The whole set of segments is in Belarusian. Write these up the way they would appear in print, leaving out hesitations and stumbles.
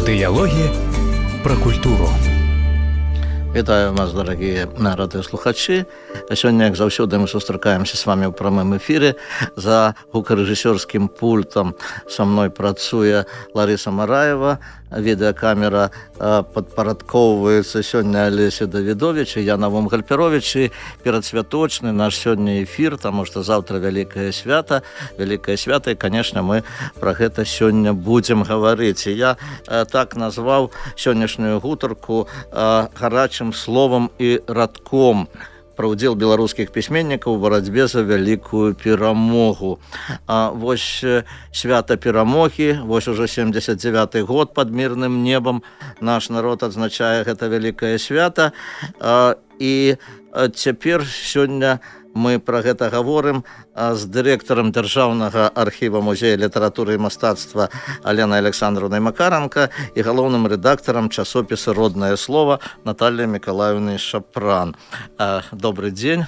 Дыялогі пра культуру. Вітаю вас, дарагія радыёслухачы. Сёння, як заўсёды, мы сустракаемся с вами ў прамым эфіры. За гукарэжысёрскім пультам са мной працуе Ларыса Мараева. Відэакамера падпарадкоўваецца сёння Алесе Давідович і я Навум Гальперович. І перадсвяточны наш сёння эфір, таму што заўтра вялікае свята. Вялікае свята, і, канешне, мы пра гэта сёння будзем гаварыць. І я так назваў сённяшнюю гутарку гарачым словам і радком пра ўдзел беларускіх пісьменнікаў у барацьбе за вялікую перамогу. Вось свята перамогі, вось ужо 79-й год пад мірным небам наш народ адзначае гэта вялікае свята. І цяпер сёння мы пра гэта гаворым з дырэктарам Дзяржаўнага архіва музея літаратуры і мастацтва Аленай Александровнай Макаранка і галоўным рэдактарам часопіса «Роднае слово» Натальяй Мікалаевнай Шапран. Добрый дзень.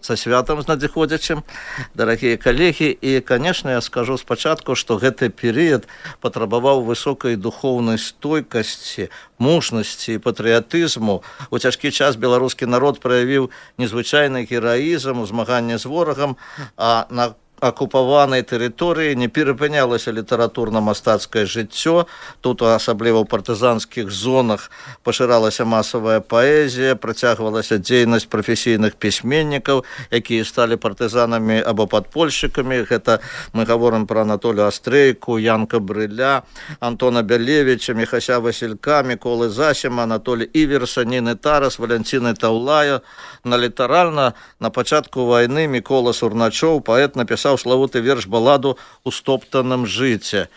Са святам з надыходзячым, дарагія калегі. І, канешне, я скажу спачатку, што гэты перыяд патрабаваў высокай духоўнай стойкасці, мужнасці і патрыятызму. У цяжкі час беларускі народ праявіў незвычайны гераізм у змаганні з ворагам, а на акупаванай тэрыторыі не перапынялася літаратурна-мастацкае жыццё. Тут, асабліва ў партызанскіх зонах, пашыралася масавая паэзія, працягвалася дзейнасць прафесійных пісьменнікаў, якія сталі партызанамі або падпольшчыкамі. Гэта мы гаворым пра Анатолія Астрейку, Янка Брыля, Антона Бялевіча, Міхася Васілька, Міколы Засіма, Анатолія Іверса, Ніны Тарас, Валянціны Таўлая. Літаральна на пачатку вайны Мікола Сурначоў, паэт, напісаў славуты верш-баладу «У стоптаным жыце».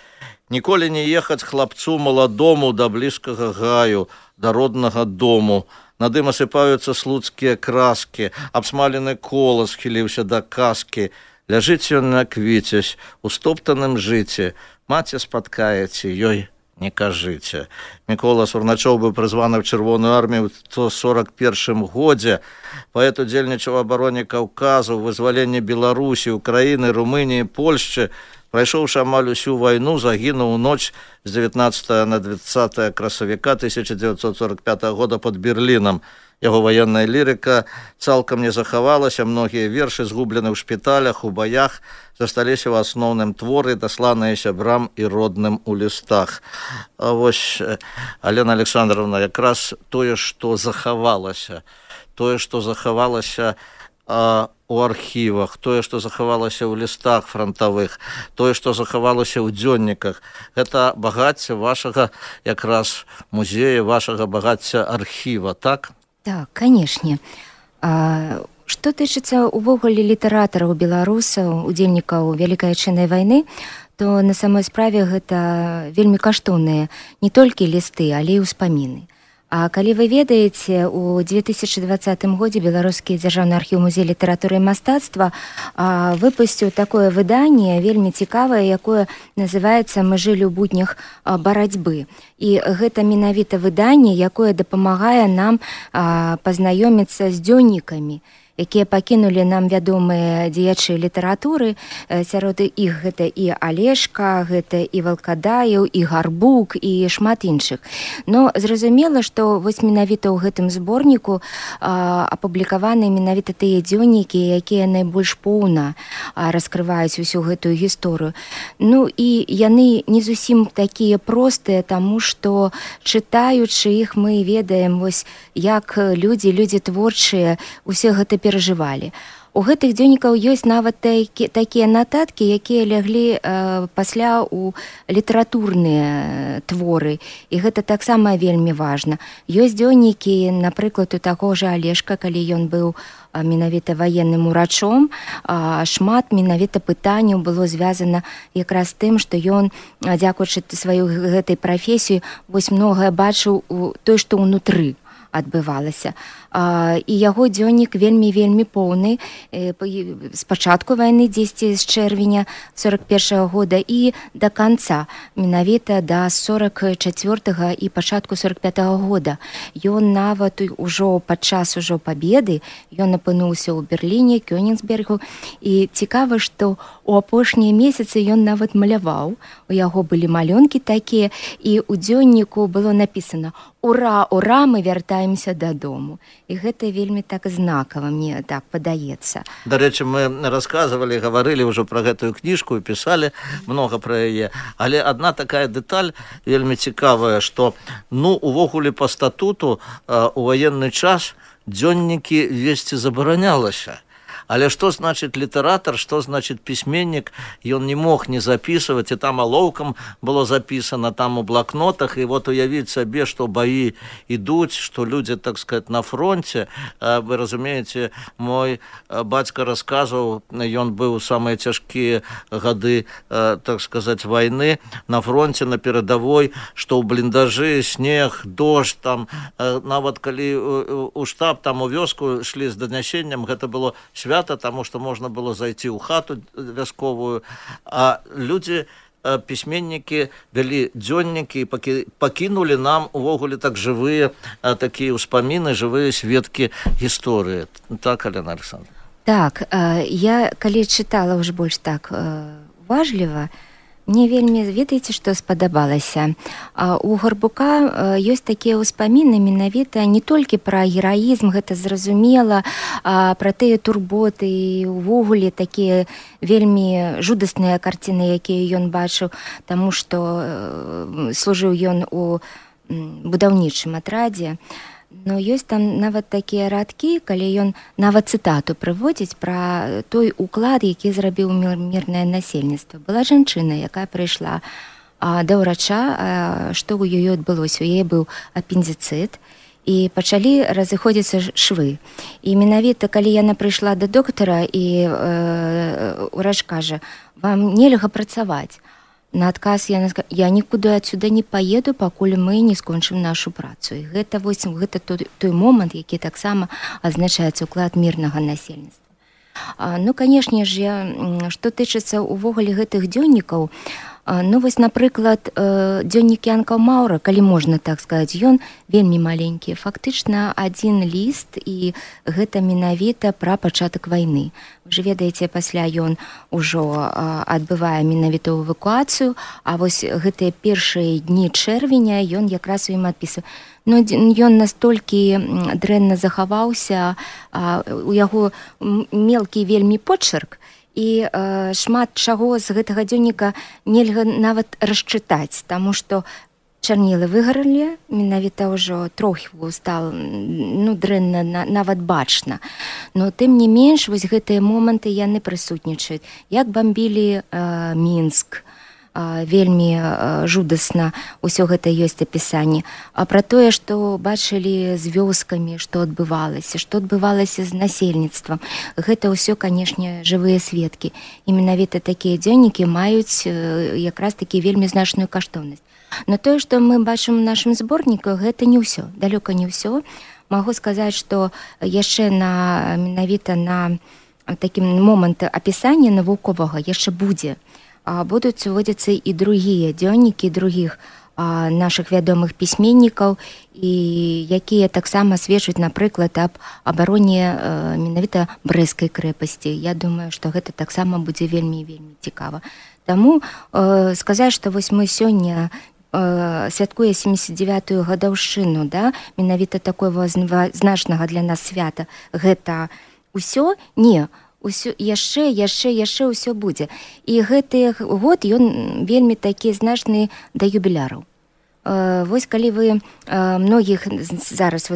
«Ніколі не ехаць хлапцу маладому да блізкага гаю, да роднага дому. Над ім асыпаюцца слуцкія краскі, абсмалены колас хіліўся да каскі. Ляжыць ён на квіцесь, у стоптаным жыце, маці спаткаеце, ёй не кажыце». Мікола Сурначоў быў прызваны ў Чырвоную армію ў 1941 годзе. Паэт удзельнічаў у абароне Каўказу, вызваленні Беларусі, Украіны, Румыніі, Польшчы. Прайшоўшы амаль усю вайну, загінуў у ноч з 19 на 20 красавіка 1945 года пад Берлінам. Яго ваенная лірыка цалкам не захавалася, многія вершы згублены ў шпіталях, у баях, засталіся ў асноўным творы, дасланыя сябрам і родным у лістах. А вось, Алена Александровна, якраз тое, што захавалася у архівах, тое, што захавалася ў лістах фронтавых, тое, што захавалася ў дзённіках, гэта багацце вашага якраз музея, вашага багацця архіва, так? Так, канешне. Што тычыцца увогуле літаратараў беларусаў, удзельнікаў Вялікай Адчыннай вайны, то на самой справе гэта вельмі каштоўныя не толькі лісты, але і ўспаміны. А калі вы ведаеце, у 2020 годзе Беларускі дзяржаўны архіў музея літаратуры і мастацтва выпусціў такое выданне вельмі цікавае, якое называецца «Мы жылі ў буднях барацьбы». І гэта менавіта выданне, якое дапамагае нам пазнаёміцца з дзённікамі, якія пакінулі нам вядомыя дзеячы літаратуры. Сярод іх гэта і Алешка, гэта і Валкадаеў, і Гарбук, і шмат іншых. Но зразумела, што вось менавіта ў гэтым зборніку апублікаваны менавіта тыя дзённікі, якія найбольш поўна раскрываюць усю гэтую гісторыю. Ну і яны не зусім такія простыя, таму што чытаючы іх мы ведаем, вось як людзі творчыя усе гэта перажывалі. У гэтых дзённікаў ёсць нават такія нататкі, якія ляглі пасля ў літаратурныя творы. І гэта таксама вельмі важна. Ёсць дзённікі, напрыклад, у таго ж Алешка, калі ён быў менавіта ваенным урачом, шмат менавіта пытанняў было звязана якраз тым, што ён, дзякуючы сваёй гэтай прафесіі, вось многае бачыў той, што ўнутры адбывалася. І яго дзённік вельмі поўны з пачатку вайны, дзесьці з чэрвеня 41-го года і да канца, менавіта да 44-го і пачатку 45-го года. Ён нават ужо падчас пабеды, ён апынуўся ў Берліне, Кёнігсбергу, і цікава, што у апошнія месяцы ён нават маляваў, у яго былі малюнкі такія, і ў дзённіку было напісана: «Ура, ура, мы вяртаемся дадому». І гэта вельмі так знакава, мне так падаецца. Дарэчы, мы расказвалі, гаварылі ўжо пра гэтую кніжку і пісалі многа пра яе. Але адна такая дэталь вельмі цікавая, што увогуле па статуту у ваенны час дзённікі весці забаранялася. Але што значыць літаратар, што значыць пісьменнік, ён не мог не записывать, і там алоўкам было записано, там у блокнотах, і вот уявіць сабе, што баі ідуць, што людзі, так сказать, на фронте. Вы разумееце, мой бацька расказваў, ён быў у самыя цяжкія гады, так сказать, вайны на фронте, на перадавой, што ў бліндажы, снег, дождь, там, нават калі у штаб, там у вёску шлі з данясеннем, гэта было свята, таму што можна было зайти ў хату вясковую, а людзі, пісьменнікі, вялі дзённікі і пакінулі нам увогуле так жывыя такія ўспаміны, жывыя сведкі гісторыі. Так, Алена Александровна? Так, я калі чытала ўжо больш так уважліва, мне вельмі, ведаеце, што спадабалася. У Гарбука ёсць такія ўспаміны менавіта не толькі пра гераізм, гэта зразумела, пра тыя турботы і ўвогуле такія вельмі жудасныя карціны, якія ён бачыў, таму што служыў ён у будаўнічым атрадзе. Но ёсць там нават такія радкі, калі ён нават цытату прыводзіць пра той уклад, які зрабіў мірнае насельніцтва. Была жанчына, якая прыйшла да ўрача, што ў ёй адбылося. У яе быў апендыцыт, і пачалі разыходзіцца швы. І менавіта, калі яна прыйшла да доктара, і ўрач кажа: «Вам нельга працаваць». На адказ яна сказала: «Я нікуды адсюда не паеду, пакуль мы не скончым нашу працу». І гэта той момант, які таксама азначаецца ўклад мірнага насельніцтва. Канешне ж, што тычыцца ўвогуле гэтых дзённікаў, вось, напрыклад, дзённік Янка Маўра, калі можна так сказаць, ён вельмі маленькі, фактычна адзін ліст, і гэта менавіта пра пачатак вайны. Вы ж ведаеце, пасля ён ужо адбывае менавіта эвакуацыю, а вось гэтыя першыя дні чэрвеня ён якраз у ім адпісвае. Ён настолькі дрэнна захаваўся, у яго мелкі вельмі почерк, і шмат чаго з гэтага дзённіка нельга нават расчытаць, таму што чарнілы выгаралі, менавіта ўжо трохі стала дрэнна нават бачна. Но тым не менш, вось гэтыя моманты яны прысутнічаюць. Як бамбілі Мінск, вельмі жудасна ўсё гэта ёсць апісанне. А пра тое, што бачылі з вёскамі, што адбывалася з насельніцтвам. Гэта ўсё, канешне, жывыя сведкі. І менавіта такія дзённікі маюць якраз такі вельмі значную каштоўнасць. Но тое, што мы бачым у нашым зборніку, гэта не ўсё, далёка не ўсё. Магу сказаць, што яшчэ менавіта на такім момант апісання навуковага яшчэ будзе. Будуць уводзіцца і другія дзённікі другіх нашых вядомых пісьменнікаў, і якія таксама сведчаць, напрыклад, аб абароне менавіта Брэсцкай крэпасці. Я думаю, што гэта таксама будзе вельмі цікава. Таму сказаць, што вось мы сёння святкуе 79-ю гадаўшчыну, менавіта такого значнага для нас свята, гэта ўсё? Не. Яшчэ ўсё будзе. І гэты год ён вельмі такі значны да юбіляраў. Вось калі вы многіх зараз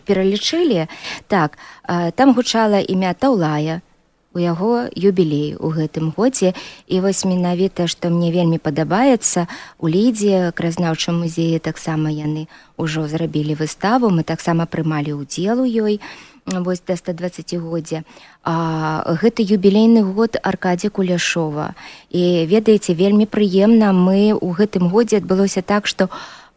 пералічылі, так, там гучала імя Таўлая, у яго юбілей у гэтым годзе. І вось менавіта, што мне вельмі падабаецца, у Лідзе, краязнаўчым музеі, таксама яны ўжо зрабілі выставу, мы таксама прымалі ўдзел у ёй, вось да 120-годдзя. Гэта юбілейны год Аркадзія Куляшова. І ведаеце, вельмі прыемна, мы ў гэтым годзе адбылося так, што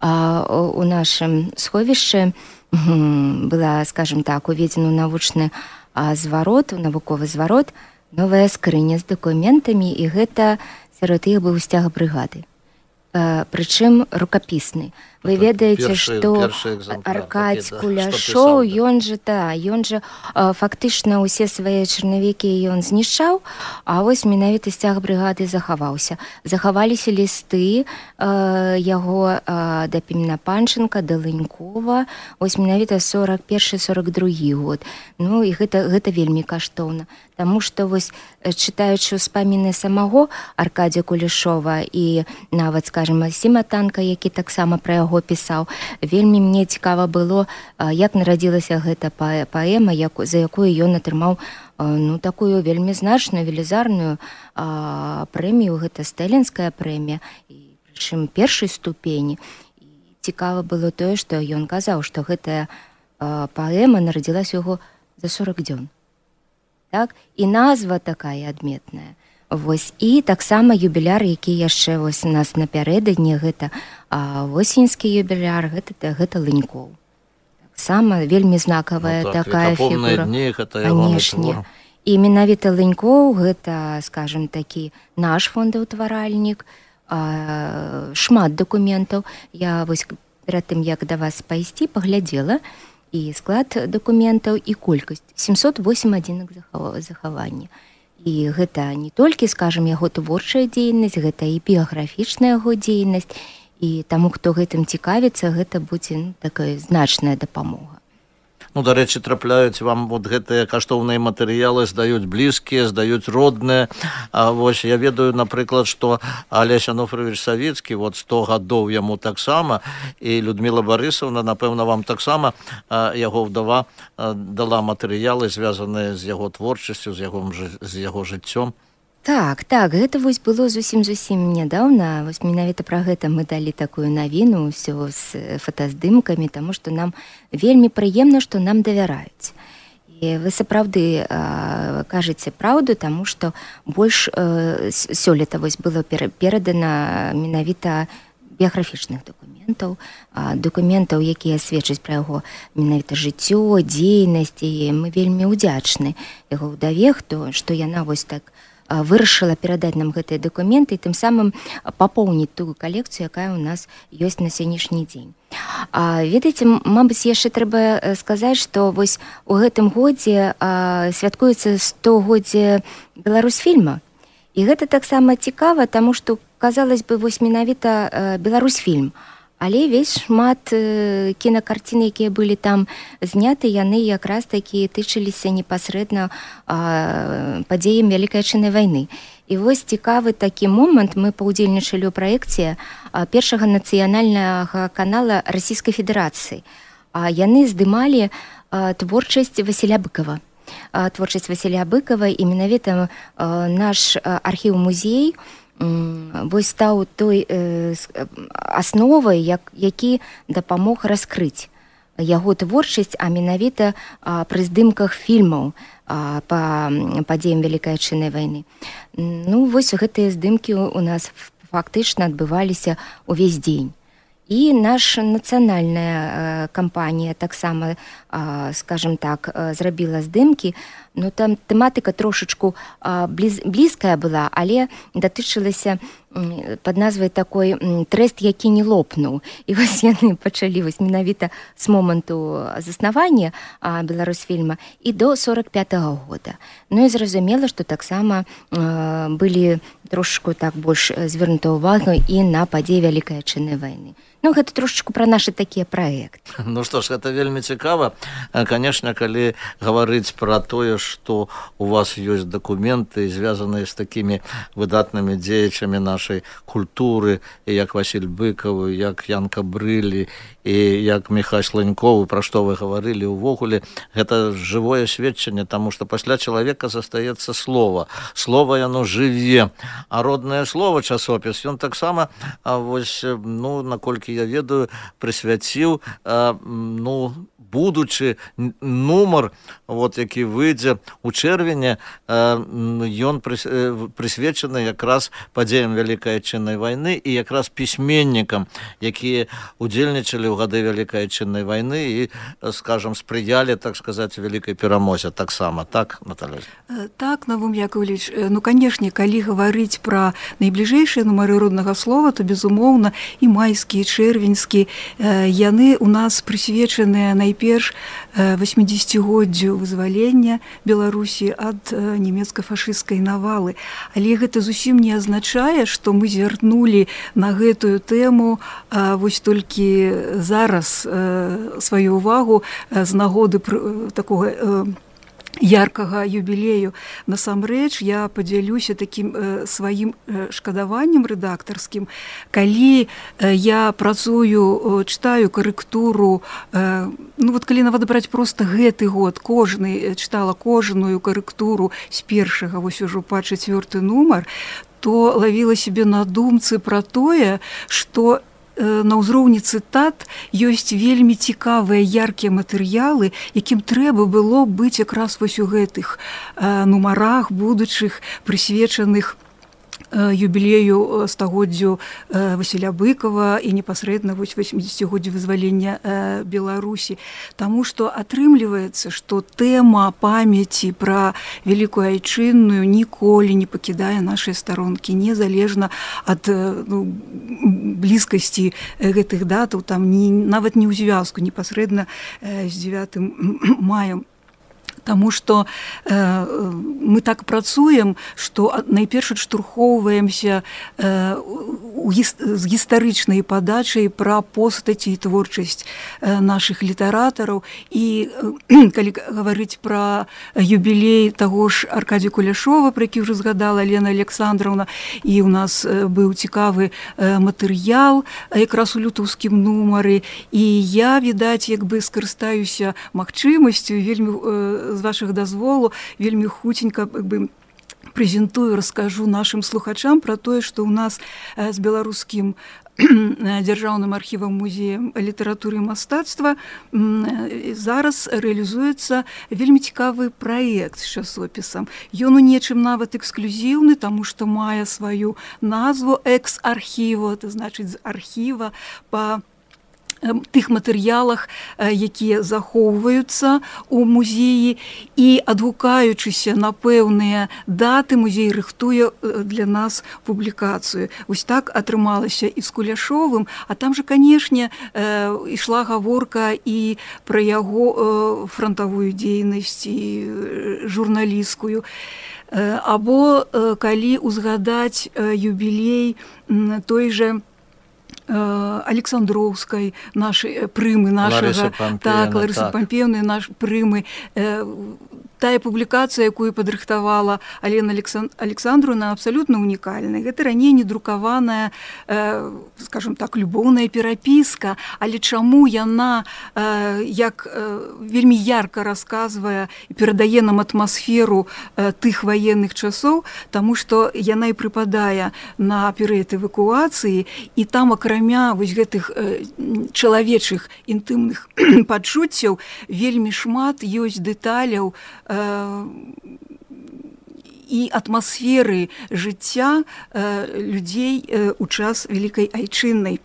у нашым сховішчы была, скажем так, уведзена ў навучны зварот, у навуковы зварот новая скрыня з дакументамі, і гэта сярод іх быў сцяг брыгады. Прычым рукапісны. Вы ведаеце, што Аркадзь Куляшоў, ён жа фактычна ўсе свае чарнавікі ён знішчаў, а вось менавіта сцяг брыгады захаваўся. Захаваліся лісты яго да Пімена Панченка, да Лынькова, вось менавіта 41-42 год. Ну і гэта вельмі каштоўна, таму што вось чытаючы ўспаміны самого Аркадзя Куляшова і нават, скажем, Масіма Танка, які таксама пра яго пісаў, вельмі мне цікава было, як нарадзілася гэта паэма, за якую ён атрымаў такую вельмі значную, велізарную прэмію, гэта стэлінская прэмія, і прычым першай ступені. І цікава было тое, што ён казаў, што гэтая паэма нарадзілася яго за 40 дзён. Так? І назва такая адметная. Вось, і таксама юбіляр, які яшчэ вось у нас напярэдадні, гэта восеньскі юбіляр, гэта Лынькоў. Таксама вельмі знакавая такая фігура. Канешне. І менавіта Лынькоў, гэта, скажем, такі наш фондаўтваральнік, шмат дакументаў. Я вось перад тым, як да вас пайсці, паглядзела і склад дакументаў, і колькасць. 708 адзінак захавання. І гэта не толькі, скажем, яго творчая дзейнасць, гэта і біяграфічная яго дзейнасць, і таму, хто гэтым цікавіцца, гэта будзе такая значная дапамога. Дарэчы, трапляюць вам вот гэтыя каштоўныя матэрыялы, здаюць блізкія, здаюць родныя. Вось я ведаю, напрыклад, што Алесь Ануфрыевіч Савіцкі, вот 100 гадоў яму таксама, і Людміла Барысаўна, напэўна, вам таксама яго ўдава дала матэрыялы, звязаныя з яго творчасцю, з яго жыццём. Так, гэта вось было зусім нядаўна. Вось менавіта пра гэта мы далі такую навіну, ўсё з фотаздымкамі, таму што нам вельмі прыемна, што нам давяраюць. І вы сапраўды кажаце праўду, таму што больш сёлета вось было перадана менавіта біяграфічных дакументаў, якія сведчаць пра яго менавіта жыццё, дзейнасць, і мы вельмі ўдзячны яго ўдаве, што яна вось так вырашыла перадаць нам гэтыя дакументы і тым самым папоўніць тую калекцыю, якая ў нас ёсць на сённяшні дзень. Ведаеце, мабыць, яшчэ трэба сказаць, што вось у гэтым годзе святкуецца 100-годдзе Беларусьфільма. І гэта таксама цікава, таму што, казалось бы, вось менавіта Беларусьфільм. Але весь шмат кінакарцін, якія былі там зняты, яны якраз такі тычыліся непасрэдна падзеям Вялікай Адчыннай вайны. І вось цікавы такі момант, мы паўдзельнічалі ў праекце першага нацыянальнага канала Расійскай Федэрацыі. Яны здымалі творчасць Васіля Быкава. І менавіта наш архіў-музей вось стаў той асновай, які дапамог раскрыць яго творчасць, а менавіта пры здымках фільмаў па падзеям Вялікай Адчыннай вайны. Вось гэтыя здымкі у нас фактычна адбываліся ўвесь дзень. І наша нацыянальная кампанія таксама, скажем так, зрабіла здымкі. Там тэматыка трошачку блізкая была, але датычылася пад назвай такой «Трэст, які не лопнуў». І вось яны пачалі менавіта з моманту заснавання Беларусьфільма і до 45-го года. І зразумела, што таксама былі трошачку так больш звернута ўвагу і на падзеі Вялікай Адчыннай вайны. Гэта трошачку пра нашы такія праекты. Што ж, гэта вельмі цікава. Канешне, калі гаварыць пра тое, што у вас ёсць дакументы, звязаныя з такімі выдатнымі дзеячамі нашай культуры, як Васіль Быкаў, як Янка Брылі, і як Міхась Лынькоў, пра што вы гаварылі ўвогуле, гэта жывое сведчанне, таму што пасля чалавека застаецца слова. Слова яно жыве, а роднае слова часопіс, ён таксама, вось, наколькі я ведаю, прысвяціў будучы нумар, які выйдзе ў чэрвені, ён прысвечаны якраз падзеям Вялікай Айчыннай вайны і якраз пісьменнікам, якія удзельнічалі ў гады Вялікай Айчыннай вайны і, скажам, спрыялі, так сказаць, вялікай перамозе таксама. Так, Наталья? Так, Навум Яковлевич, канешне, калі гаварыць пра найбліжэйшыя нумары роднага слова, то, безумоўна, і майскі, і чэрвеньскі, яны у нас прысвечаныя найперш 80-годдзю вызвалення Беларусі ад нямецка-фашысцкай навалы. Але гэта зусім не азначае, што мы звярнулі на гэтую тэму вось толькі зараз сваю ўвагу з нагоды такога яркага юбілею. Насамрэч, я падзялюся такім сваім шкадаваннем рэдактарскім. Калі я працую, чытаю карэктуру, калі нават браць проста гэты год, чытала кожную карэктуру з першага вось ужо па 4-й нумар, то лавіла сябе на думцы пра тое, што на ўзроўні цытат ёсць вельмі цікавыя яркія матэрыялы, якім трэба было быць якраз вось у гэтых нумарах будучых, прысвечаных юбілею стагоддзю Васіля Быкова і непасрэдна 80-годдзю вызвалення Беларусі. Таму што атрымліваецца, што тэма памяці пра Вялікую Айчынную ніколі не пакідае нашыя старонкі, незалежна ад блізкасці гэтых датаў, нават не ў звязку непасрэдна з 9 маем. Таму што мы так працуем, што найперш адштурхоўваемся з гістарычнай падачай пра постаці і творчасць нашых літаратараў. І калі гаварыць пра юбілей таго ж Аркадія Куляшова, пра які ўжо згадала Лена Александровна, і ў нас быў цікавы матэрыял якраз у лютаўскім нумары, і я, відаць, скарыстаюся магчымасцю, вельмі з вашых дазволу, вельмі хуценька прэзентую, раскажу нашым слухачам пра тое, што ў нас з беларускім дзяржаўным архівам музеем літаратуры і мастацтва зараз рэалізуецца вельмі цікавы праект з часопісам. Ён у нечым нават эксклюзіўны, таму што мае сваю назву «Экс-архіва», это значыць з архіва па тых матэрыялах, якія захоўваюцца ў музеі, і адгукаючыся на пэўныя даты, музей рыхтуе для нас публікацыю. Вось так атрымалася і з Куляшовым, а там жа, канешне, ішла гаворка і пра яго франтавую дзейнасць і журналісцкую. Або калі ўзгадаць юбілей той жа Александроўскай, нашай прымы нашага, Ларысы Пампеўны, наш прымы, тая публікацыя, якую падрыхтавала Алена Александровна, абсалютна унікальная. Гэта раней недрукаваная, скажем так, любоўная перапіска, але чаму яна як вельмі ярка расказвае і перадае нам атмасферу тых ваенных часоў, таму што яна і прыпадае на перыяд эвакуацыі, і там акрамя вось гэтых чалавечых інтымных пачуццяў вельмі шмат ёсць дэталяў і атмасферы жыцця людзей у час Вялікай Айчыннай.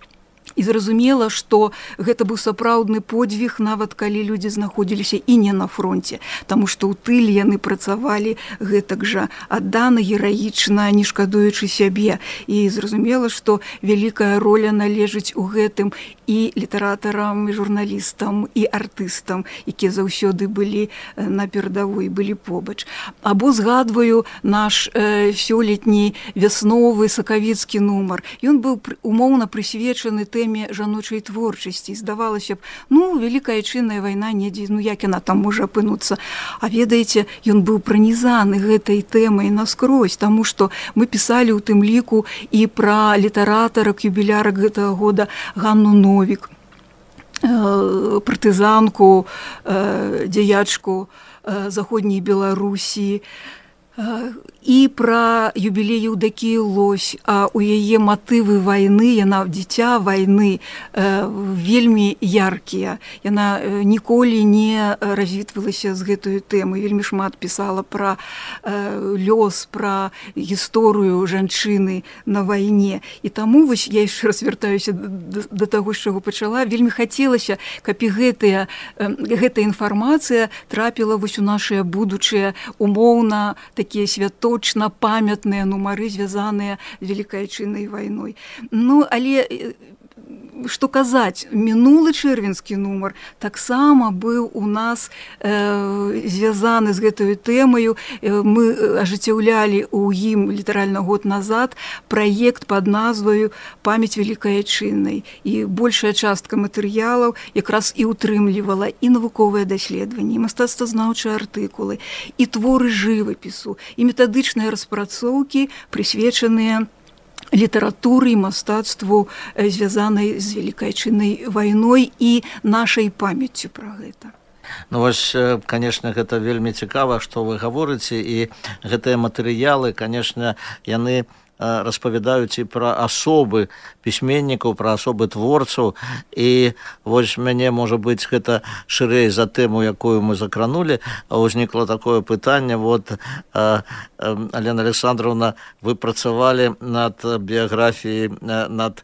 І зразумела, што гэта быў сапраўдны подзвіг, нават калі людзі знаходзіліся і не на фронце, таму што ў тыле яны працавалі гэтак жа аддана, гераічна, не шкадуючы сябе. І зразумела, што вялікая роля належыць у гэтым і літаратарам, і журналістам, і артыстам, якія заўсёды былі на перадавой, былі побач. Або згадваю наш сёлетні вясновы сакавіцкі нумар. Ён быў умоўна прысвечаны тэме жаночай творчасці. Здавалася б, Вялікая Айчынная вайна недзе, як яна там можа апынуцца. А ведаеце, ён быў пранізаны гэтай тэмай наскрозь, таму што мы пісалі ў тым ліку і пра літаратарак, юбілярак гэтага года Ганну Новік, партызанку, дзеячку заходняй Беларусі, і пра юбілей Еўдакіі Лось, а у яе матывы вайны, яна дзіця вайны, вельмі яркія. Яна ніколі не развітвалася з гэтую тэму, вельмі шмат пісала пра лёс, пра гісторыю жанчыны на вайне. І таму вось я яшчэ раз вяртаюся да таго, з чаго пачала, вельмі хацелася, каб і гэтая інфармацыя трапіла вось у нашыя будучыя умоўна такія святочна памятныя нумары, звязаныя з Вялікай Айчыннай вайной. Ну, але што казаць, мінулы чэрвеньскі нумар таксама быў у нас звязаны з гэтаю тэмаю. Мы ажыццяўлялі ў ім літаральна год назад праект пад назваю «Памяць Вялікай Айчыннай». І большая частка матэрыялаў якраз і ўтрымлівала і навуковыя даследаванні, і мастацтвазнаўчыя артыкулы, і творы жывапісу, і метадычныя распрацоўкі, прысвечаныя літаратуры і мастацтву, звязанай з Вялікай Айчыннай вайной і нашай памяццю пра гэта. Ну вось, конечно, гэта вельмі цікава, што вы гаворыце, і гэтыя матэрыялы, конечно, яны распавядаюць і пра асобы пісьменнікаў, пра асобы творцаў. І вось мяне, можа быць, гэта шырэй за тэму, якую мы закранулі, узнікла такое пытанне. Вот, Алена Александровна, вы працавалі над біяграфіяй, над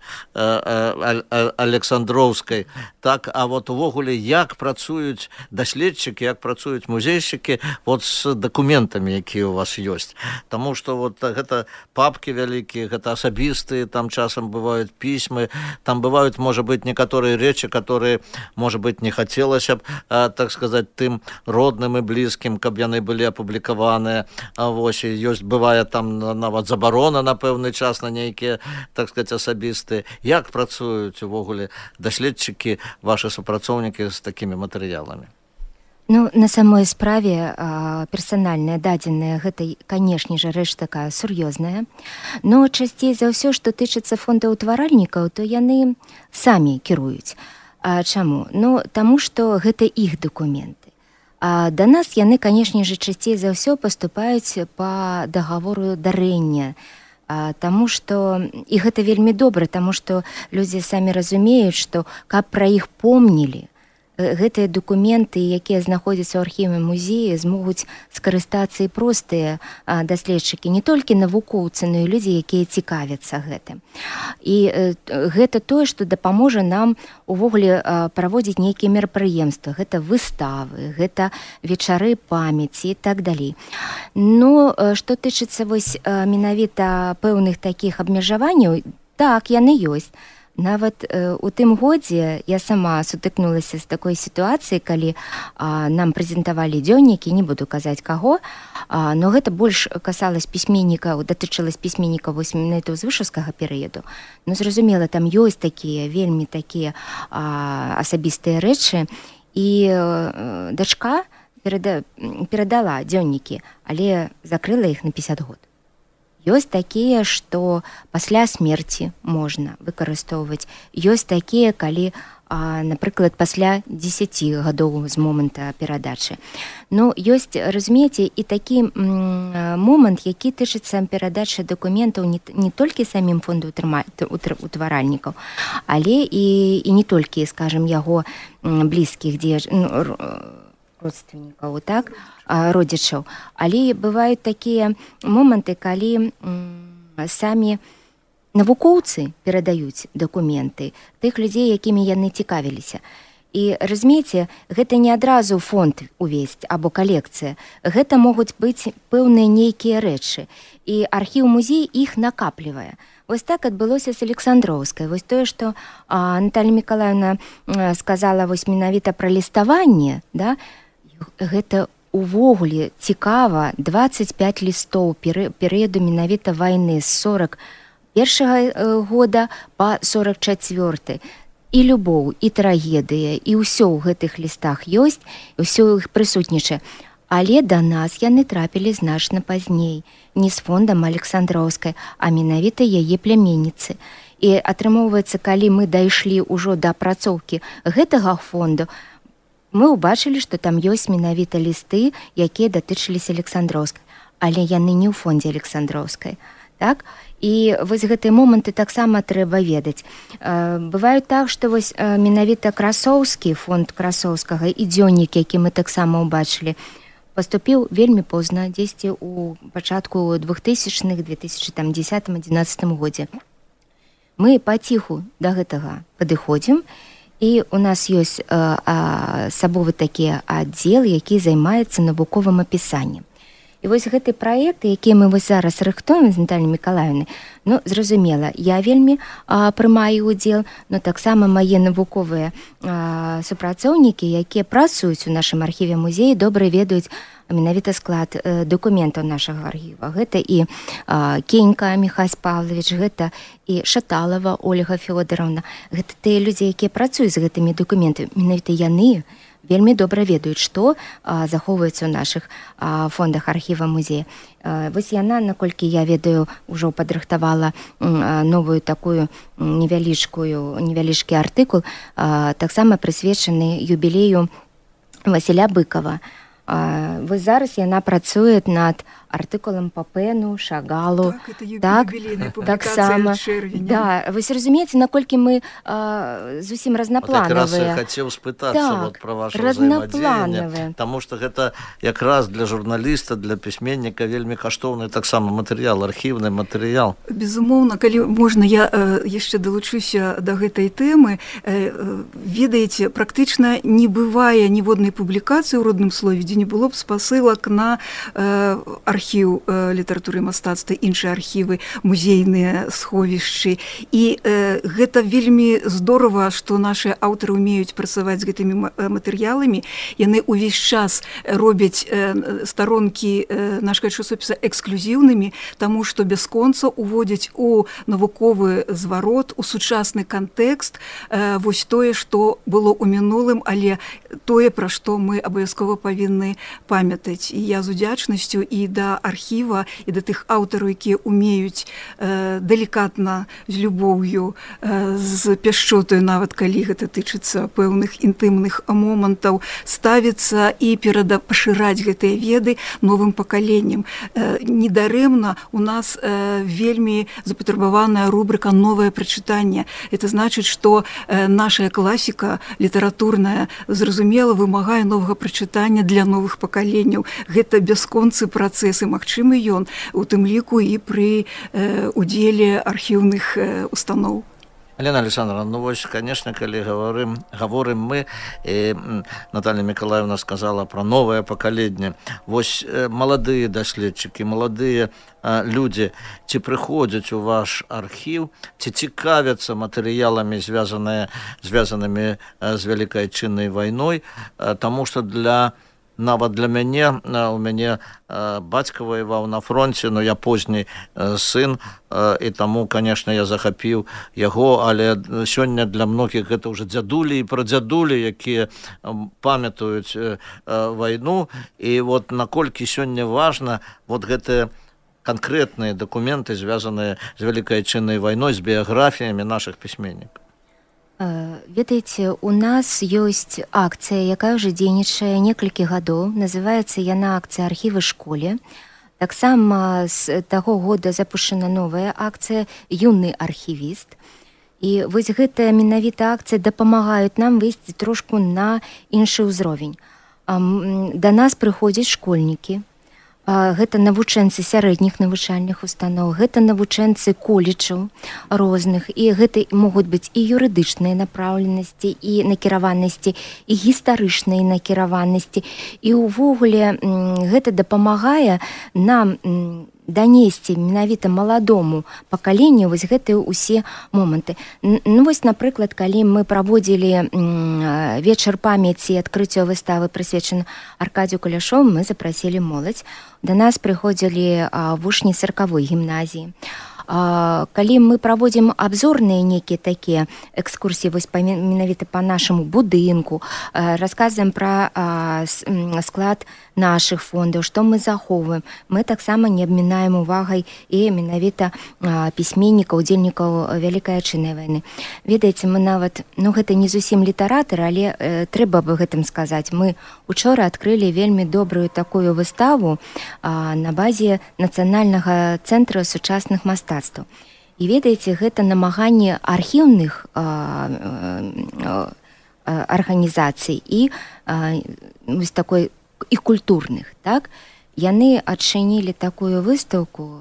Александроўскай. Так, а вот увогуле, як працуюць даследчыкі, як працуюць музейшчыкі вот з дакументамі, якія у вас ёсць? Таму што вот гэта папкі вялікія, гэта асабістыя, там часам бываюць пісьмы, там бываюць, можа быць, некаторыя рэчы, которые, можа быць, не хацелася б, так сказаць, тым родным і блізкім, каб яны былі апублікаваныя. Вось, ёсць, бывае там нават забарона на пэўны час на нейкія, так сказаць, асабістыя. Як працуюць увогуле даследчыкі, ваши супрацоўнікі з такімі матэрыяламі? Ну, на самой справе персанальныя дадзеныя гэта, канешне ж, рэч такая сур'ёзная, но часцей за ўсё, што тычыцца фондаўтваральнікаў, то яны самі кіруюць. А чаму? Ну, таму што гэта іх дакументы. А да нас яны, канешне ж, часцей за ўсё паступаюць па дагавору дарэння. Таму што, і гэта вельмі добра, таму што людзі самі разумеюць, што каб пра іх помнілі, гэтыя дакументы, якія знаходзяцца ў архіве музея, змогуць скарыстацца і простыя даследчыкі, не толькі навукоўцы, но і людзі, якія цікавяцца гэтым. І гэта тое, што дапаможа нам увогуле праводзіць нейкія мерапрыемствы. Гэта выставы, гэта вечары памяці і так далей. Ну, што тычыцца вось менавіта пэўных такіх абмежаванняў, так, яны ёсць. Нават у тым годзе я сама сутыкнулася з такой сітуацыяй, калі нам прэзентавалі дзённікі, не буду казаць каго, но гэта больш касалась пісьменнікаў, датычылась пісьменнікаў вось менавіта ўзвышаўскага перыяду. Ну, зразумела, там ёсць такія, вельмі такія асабістыя рэчы, і дачка перадала дзённікі, але закрыла іх на 50 год. Ёсць такія, што пасля смерці можна выкарыстоўваць. Ёсць такія, калі, напрыклад, пасля 10 гадоў з момента перадачы. Ну, ёсць, разумееце, і такі момант, які тычыцца перадачы дакументаў не толькі самім фондаўтваральнікаў, але і не толькі, скажем, яго блізкіх родственнікаў, так, родзічаў. Але бываюць такія моманты, калі самі навукоўцы перадаюць дакументы тых людзей, якімі яны цікавіліся. І, разумееце, гэта не адразу фонд увесь або калекцыя. Гэта могуць быць пэўныя нейкія рэчы. І архіў-музей іх накаплівае. Вось так адбылося з Александроўскай. Вось тое, што Наталья Миколаевна сказала вось менавіта пра ліставанне, да, гэта увогуле цікава. 25 лістоў перыяду менавіта вайны з 41 года па 44. І любоў, і трагедыя, і ўсё ў гэтых лістах ёсць, ўсё іх прысутнічае. Але да нас яны трапілі значна пазней, не з фондам Александроўскай, а менавіта яе пляменніцы. І атрымоўваецца, калі мы дайшлі ўжо да апрацоўкі гэтага фонду, мы ўбачылі, што там ёсць менавіта лісты, якія датычыліся Александроўскай. але яны не ў фондзе Александроўскай. Так? І вось гэтыя моманты таксама трэба ведаць. Бывае так, што вось менавіта Красоўскі, фонд Красоўскага і дзённік, які мы таксама ўбачылі, паступіў вельмі позна, дзесьці ў пачатку 2000-х, 2010-2011 годзе. Мы паціху да гэтага падыходзім, і у нас ёсць асабовы такі аддзел, які займаецца навуковым апісаннем. І вось гэты праект, які мы вось зараз рыхтуем з Натальей Мікалаївнай, ну, зразумела, я вельмі прымаю ўдзел, но таксама мае навуковыя супрацоўнікі, якія працуюць у нашым архіве музеі, добра ведаюць менавіта склад дакументаў нашага архіва. Гэта і Кенька Міхась Павлович, гэта і Шаталова Ольга Фёдоровна. Гэта тыя людзі, якія працуюць з гэтымі дакументамі. Менавіта яны вельмі добра ведаюць, што захоўваецца ў нашых фондах архіва музея. Вось яна, наколькі я ведаю, ужо падрыхтавала новую такую невялічкі артыкул, таксама прысвечаны юбілею Васіля Быкова. Вось зараз яна працуе над артыкулам па Пэну, Шагалу. Так, таксама. Да, вось разумееце, наколькі мы зусім разнапланавыя. Вот якраз я хацеў спытацца вот пра ваше ўзаемадзеянне, таму што гэта якраз для журналіста, для пісьменніка вельмі каштоўны таксама матэрыял, архіўны матэрыял. Безумоўна, калі можна, я яшчэ далучуся да гэтай тэмы. Ведаеце, практычна не бывае ніводнай публікацыі ў родным слове, дзе не было б спасылак на архіў літаратуры і мастацтва, іншыя архівы, музейныя сховішчы. І гэта вельмі здорава, што нашы аўтары ўмеюць працаваць з гэтымі матэрыяламі. Яны ўвесь час робяць старонкі нашага часопіса эксклюзіўнымі, таму што бясконца уводзяць у навуковы зварот, у сучасны кантэкст вось тое, што было ў мінулым, але тое, пра што мы абавязкова павінны памятаць. І я з удзячнасцю і да архіва, і да тых аўтараў, якія умеюць далікатна, з любоўю, з пяшчотаю, нават калі гэта тычыцца пэўных інтымных момантаў, ставіцца і пашыраць гэтыя веды новым пакаленнем. Недарэмна у нас вельмі запатрабаваная рубрыка «Новае прачытанне». Это значыць, што наша класіка літаратурная, зразумела, вымагае новага прачытання для новых пакаленняў. Гэта бясконцы працэс, і магчымы ён у тым ліку і пры удзеле архіўных устаноў. Алена Александровна, ну вось, конечно, калі гаворым мы, Наталья Миколаевна сказала про новае пакаленне. Вось маладыя даследчыкі, маладыя людзі, ці прыходзяць у ваш архіў, ці цікавяцца матэрыяламі, звязанымі з Вялікай Адчыннай вайной, таму што нават для мяне, у мяне бацька ваяваў на фронце, но я позні сын, і таму, конечно, я захапіў яго, але сёння для многіх гэта ўжо дзядулі і прадзядулі, якія памятаюць вайну, і вот наколькі сёння важна вот гэтыя канкрэтныя дакументы, звязаныя з Вялікай Адчыннай вайной, з біяграфіямі нашых пісьменнікаў. Ведаеце, у нас ёсць акцыя, якая ўжо дзейнічае некалькі гадоў. Называецца яна акцыя «Архівы школе». Таксама з таго года запушчана новая акцыя «Юны архівіст». І вось гэтая менавіта акцыя дапамагаюць нам выйсці трошку на іншы ўзровень. Да нас прыходзяць школьнікі. Гэта навучэнцы сярэдніх навучальных устаноў, гэта навучэнцы коледжаў розных, і гэта могуць быць і юрыдычныя напраўленасці, і накіраванасці, і гістарычныя накіраванасці. І ўвогуле гэта дапамагае нам данесці менавіта маладому пакаленню вось гэтыя ўсе моманты. Ну вось, напрыклад, калі мы праводзілі вечар памяці, адкрыццё выставы прысвечаны Аркадзію Куляшову, мы запрасілі моладзь. Да нас прыходзілі вучні 40-й гімназіі. Калі мы праводзім абзорныя нейкія такія экскурсіі вось менавіта па нашаму будынку, расказваем пра склад нашых фондаў, што мы захоўваем, мы таксама не абмінаем увагай і менавіта пісьменнікаў, удзельнікаў Вялікай Айчыннай вайны. Ведаеце, мы нават, гэта не зусім літаратары, але трэба бы гэтым сказаць. Мы учора адкрылі вельмі добрую такую выставу на базе Нацыянальнага цэнтра сучасных мастацтваў. І ведаеце, гэта намаганне архіўных арганізацый і вось такой і культурных, так? Яны адчынілі такую выстаўку,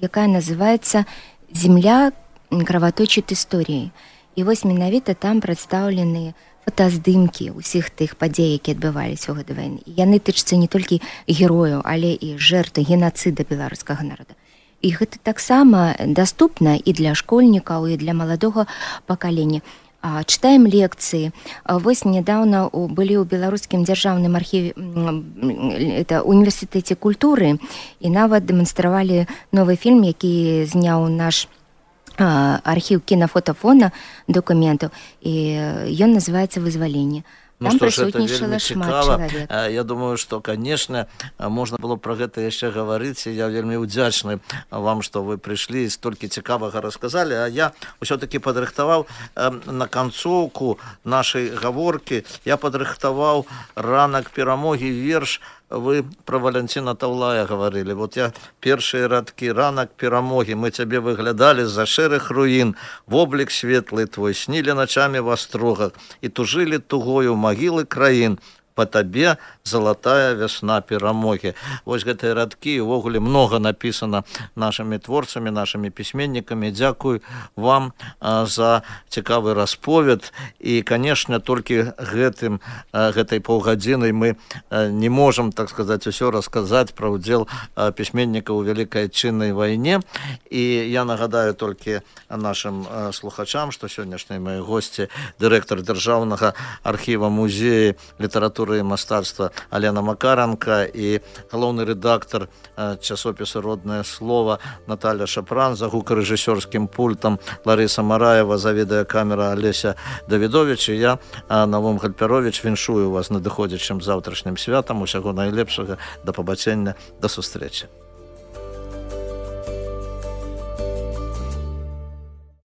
якая называецца «Земля кровоточит історіі». І вось менавіта там прадстаўлены фотаздымкі ўсіх тых падзей, якія адбываліся ў гэтай вайны. Яны тычацца не толькі герояў, але і жертв генацыда беларускага народа. І гэта таксама даступна і для школьнікаў, і для маладога пакалення. Чытаем лекцыі. Вось нядаўна былі ў беларускім дзяржаўным архіве, універсітэце культуры, і нават дэманстравалі новы фільм, які зняў наш архіў кінафотафона дакументаў, і ён называецца «Вызваленне». Там прысутнічала шмат чалавек. Я думаю, што, канешне, можна было пра гэта яшчэ гаварыць, і я вельмі ўдзячны вам, што вы прыйшлі і столькі цікавага расказалі, а я ўсё-такі падрыхтаваў на канцоўку нашай гаворкі, я падрыхтаваў «Ранак перамогі» верш. Вы про Валянціна Таўлая гаварылі. Вот я першыя радкі «Ранак перамогі». Мы цябе выглядалі з-за шэрых руін. Воблік светлы твой снілі начамі в астрогах і тужылі тугою магілы краін. Па табе залатая вясна перамогі. Вось гэтыя радкі, увогуле многа напісана нашымі творцамі, нашымі пісьменнікамі. Дзякую вам за цікавы расповед. І, канешне, толькі гэтай паўгадзінай мы не можам, так сказаць, усё расказаць пра ўдзел пісьменнікаў у Вялікай Айчыннай вайне. І я нагадаю толькі нашым слухачам, што сённяшнія мае госці дырэктар Дзяржаўнага архіва музея літаратуры і мастацтва Алена Макаранка і галоўны рэдактар часопіса «Роднае слово» Наталья Шапран, за гукарэжысёрскім пультам Ларыса Мараева, за відэакамера Алеся Давідовіч, і я, Навум Гальпяровіч, віншую вас надыходзячым заўтрашнім святам. Усяго найлепшага, да пабачэння, да сустрэчы.